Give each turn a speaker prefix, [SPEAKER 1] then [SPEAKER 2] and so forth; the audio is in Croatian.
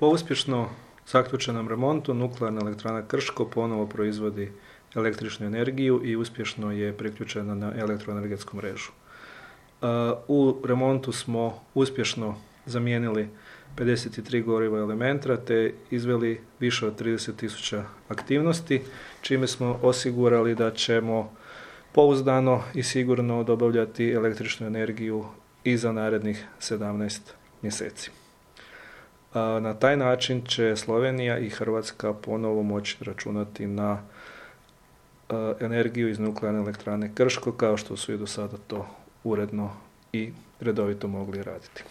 [SPEAKER 1] Po uspješno zaključenom remontu nuklearna elektrana Krško ponovo proizvodi električnu energiju i uspješno je priključena na elektroenergetsku mrežu. U remontu smo uspješno zamijenili 53 goriva elementa te izveli više od 30.000 aktivnosti, čime smo osigurali da ćemo pouzdano i sigurno dobavljati električnu energiju i za narednih 17 mjeseci. Na taj način će Slovenija i Hrvatska ponovo moći računati na energiju iz nuklearne elektrane Krško, kao što su i do sada to uredno i redovito mogli raditi.